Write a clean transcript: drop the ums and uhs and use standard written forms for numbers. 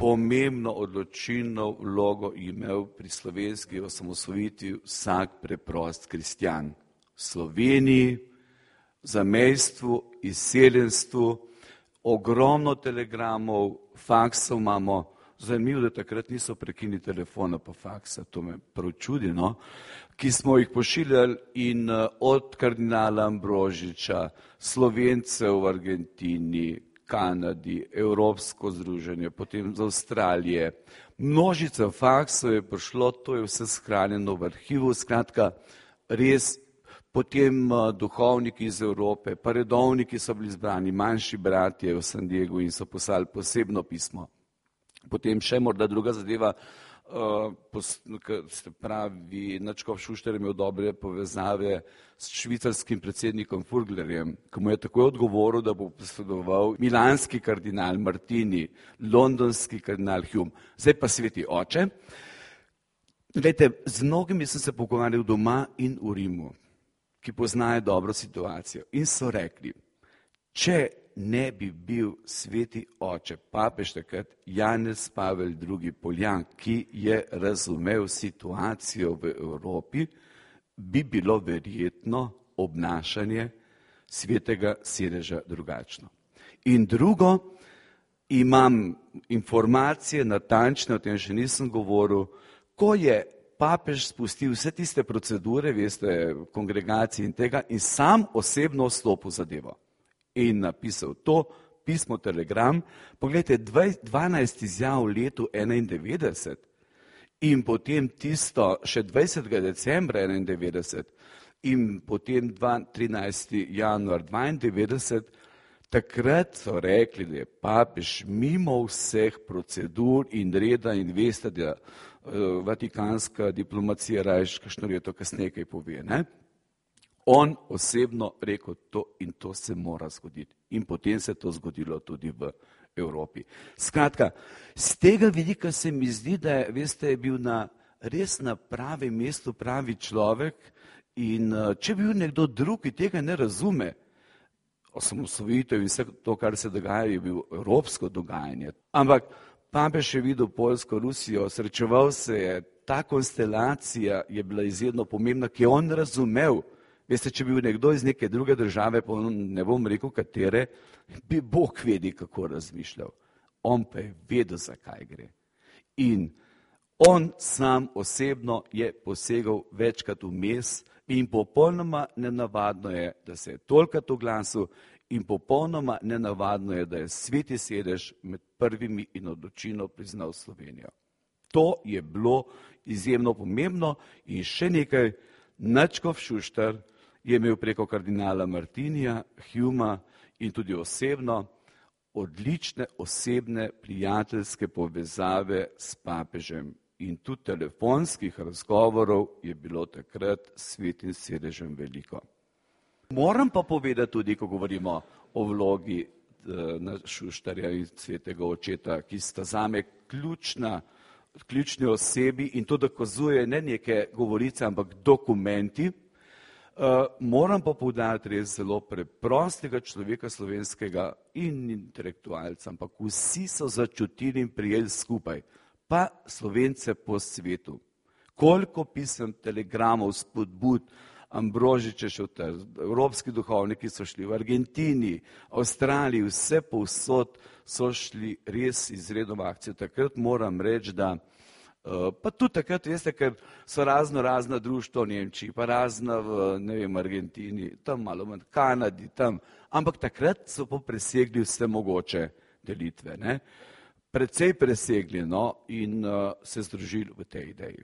pomembno odločilno vlogo imel pri slovenski osamosvojitvi vsak preprost kristjan. V Sloveniji, zamejstvu, izseljenstvu, ogromno telegramov, faksov imamo. Zanimivo, da takrat niso prekinili telefona pa faksa, to me prav čudi, no? Ki smo jih pošiljali in od kardinala Ambrožiča, Slovencev v Argentini, Kanadi, Evropsko združenje, potem z Avstralije. Množica faksov je prišlo, to je vse shranjeno v arhivu, skratka, res potem duhovniki iz Evrope, pa redovniki so bili zbrani, manjši bratje v San Diegu in so poslali posebno pismo. Potem še morda druga zadeva, se pravi, nadškof Šuštar je imel dobre povezave s švicarskim predsednikom Furglerjem, ki mu je takoj odgovoril, da bo posredoval milanski kardinal Martini, londonski kardinal Hume, zdaj pa sveti oče. Glejte, z mnogimi sem se pogovarjal doma in v Rimu, ki poznajo dobro situacijo in so rekli, če ne bi bil sveti oče, papež takrat Janez Pavel II. Poljan, ki je razumel situacijo v Evropi, bi bilo verjetno obnašanje svetega sedeža drugačno. In drugo, imam informacije natančne, o tem še nisem govoril, ko je papež spustil vse tiste procedure, veste, kongregacije in tega, in sam osebno vstopil zadevo. In napisal to pismo telegram, pogledajte, 12 izjav v letu 91 in potem tisto še 20. decembra 91 in potem 13. januar 92, takrat so rekli, da je papež mimo vseh procedur in reda in veste, da vatikanska diplomacija rajš, kakšno leto kasneje kaj pove, ne? On osebno rekel to in to se mora zgoditi. In potem se je to zgodilo tudi v Evropi. Skratka, z tega vidika se mi zdi, da je, veste, je bil res na pravem mestu pravi človek in če bi bil nekdo drug, ki tega ne razume, osamosvojitev in vse to, kar se dogaja, je bil evropsko dogajanje. Ampak papež je videl Poljsko, Rusijo, srečeval se je, ta konstelacija je bila izjemno pomembna, ki je on razumel. Veste, če bi bil nekdo iz neke druge države, pa ne bom rekel katere, bi Bog vedel, kako razmišljal. On pa je vedel, zakaj gre. In on sam osebno je posegal večkrat vmes in popolnoma nenavadno je, da se je tolikrat oglasil in popolnoma nenavadno je, da je sveti sedež med prvimi in odločilno priznal Slovenijo. To je bilo izjemno pomembno in še nekaj, nadškof Šuštar je imel preko kardinala Martinija, Humea in tudi osebno odlične osebne prijateljske povezave s papežem. In tudi telefonskih razgovorov je bilo takrat s svetim sedežem veliko. Moram pa povedati tudi, ko govorimo o vlogi Šuštarja in svetega očeta, ki sta zame ključni osebi in to dokazuje ne neke govorice, ampak dokumenti. Moram pa poudariti res zelo preprostega človeka slovenskega in intelektualca, ampak vsi so začutili in prijeli skupaj, pa Slovence po svetu. Koliko pisem, telegramov, spodbud, Ambrožič je šel ter, evropski duhovniki so šli v Argentini, Avstraliji, vse povsod so šli res izredno v akcijo. Takrat moram reči, da pa tudi takrat, veste, ker so razna društva v Nemčiji, pa razna v, ne vem, Argentini, tam malo manj, Kanadi, tam, ampak takrat so pa presegli vse mogoče delitve, ne? Precej presegli, no, in se združili v tej ideji.